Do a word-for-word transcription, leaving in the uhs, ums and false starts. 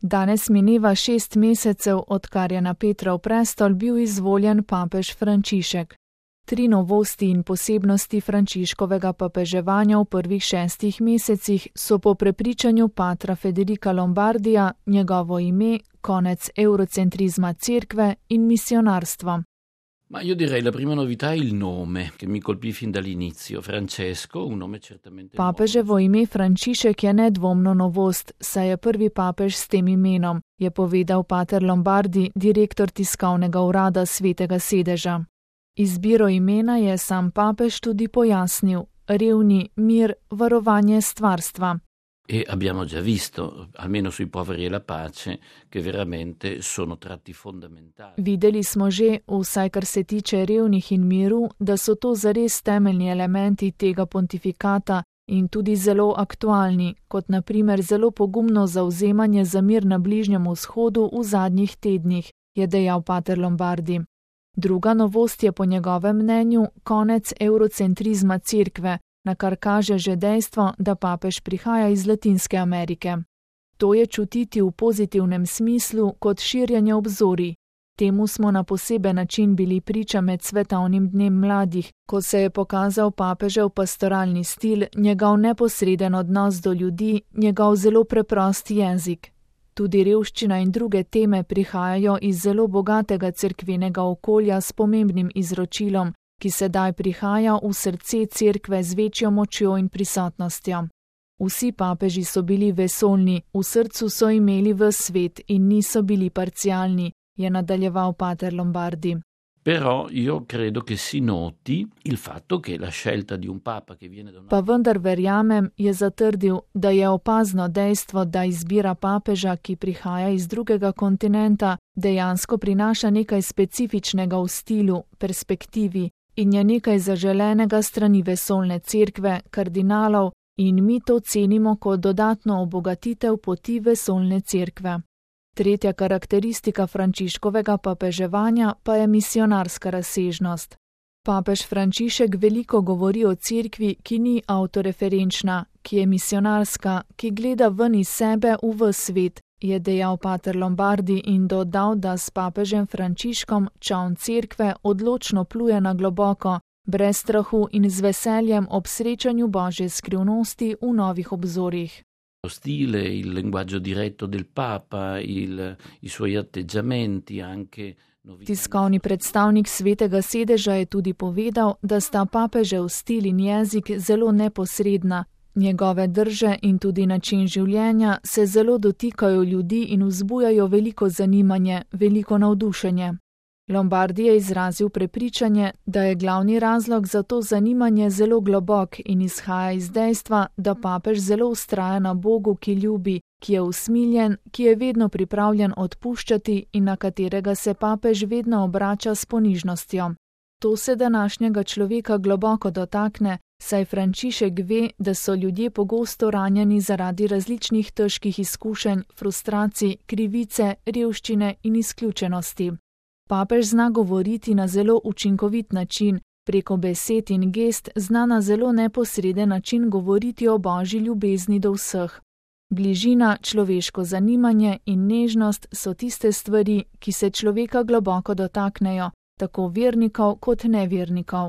Danes mineva šest mesecev, odkar je na Petrov prestol bil izvoljen papež Frančišek. Tri novosti in posebnosti Frančiškovega papeževanja v prvih šestih mesecih so po prepričanju patra Federica Lombardija njegovo ime, konec eurocentrizma cerkve in misionarstva. Ma io direi la prima novità è il nome, che mi colpì fin dall'inizio. Francesco, un nome certamente nuovo. Papeževo ime Frančišek je nedvomno novost, saj je prvi papež s tem imenom, je povedal pater Lombardi, direktor tiskovnega urada Svetega sedeža. Izbiro imena je sam papež tudi pojasnil: revni, mir, varovanje stvarstva. E abbiamo già visto, almeno sui poveri e la pace, che veramente sono tratti fondamentali. Videli smo že, vsaj kar se tiče revnih in miru, da so to zares temeljni elementi tega pontifikata in tudi zelo aktualni, kot na primer zelo pogumno zavzemanje za mir na Bližnjem vzhodu v zadnjih tednih, je dejal pater Lombardi. Druga novost je po njegovem mnenju konec eurocentrizma cerkve, na kar kaže že dejstvo, da papež prihaja iz Latinske Amerike. To je čutiti v pozitivnem smislu kot širjenje obzorij. Temu smo na poseben način bili priča med svetovnim dnem mladih, ko se je pokazal papežev pastoralni stil, njegov neposreden odnos do ljudi, njegov zelo preprost jezik. Tudi revščina in druge teme prihajajo iz zelo bogatega cerkvenega okolja s pomembnim izročilom, ki sedaj prihaja v srce cerkve z večjo močjo in prisotnostjo. Vsi papeži so bili vesoljni, v srcu so imeli ves svet in niso bili parcialni, je nadaljeval pater Lombardi. Però io credo che si noti il fatto che la scelta di un papa che viene da una... Pa vendar verjamem, je zatrdil, da je opazno dejstvo, da izbira papeža, ki prihaja iz drugega kontinenta, dejansko prinaša nekaj specifičnega v stilu, perspektivi in je nekaj zaželenega strani vesoljne cerkve, kardinalov, in mi to cenimo kot dodatno obogatitev poti vesoljne cerkve. Tretja karakteristika Frančiškovega papeževanja pa je misionarska razsežnost. Papež Frančišek veliko govori o cerkvi, ki ni avtoreferenčna, ki je misionarska, ki gleda ven iz sebe v ves svet, je dejal pater Lombardi in dodal, da s papežem Frančiškom čoln cerkve odločno pluje na globoko, brez strahu in z veseljem ob srečanju Božje skrivnosti v novih obzorjih. Lo stile, il linguaggio diretto del Papa, il, i suoi atteggiamenti, anche novità. Tiskovni predstavnik Svetega sedeža je tudi povedal, da sta papežev stil in jezik zelo neposredna, njegove drže in tudi način življenja se zelo dotikajo ljudi in vzbujajo veliko zanimanje, veliko navdušenje. Lombardi je izrazil prepričanje, da je glavni razlog za to zanimanje zelo globok in izhaja iz dejstva, da papež zelo vztraja na Bogu, ki ljubi, ki je usmiljen, ki je vedno pripravljen odpuščati in na katerega se papež vedno obrača s ponižnostjo. To se današnjega človeka globoko dotakne, saj Frančišek ve, da so ljudje pogosto ranjeni zaradi različnih težkih izkušenj, frustracij, krivice, revščine in izključenosti. Papež zna govoriti na zelo učinkovit način, preko besed in gest zna na zelo neposreden način govoriti o Božji ljubezni do vseh. Bližina, človeško zanimanje in nežnost so tiste stvari, ki se človeka globoko dotaknejo, tako vernikov kot nevernikov.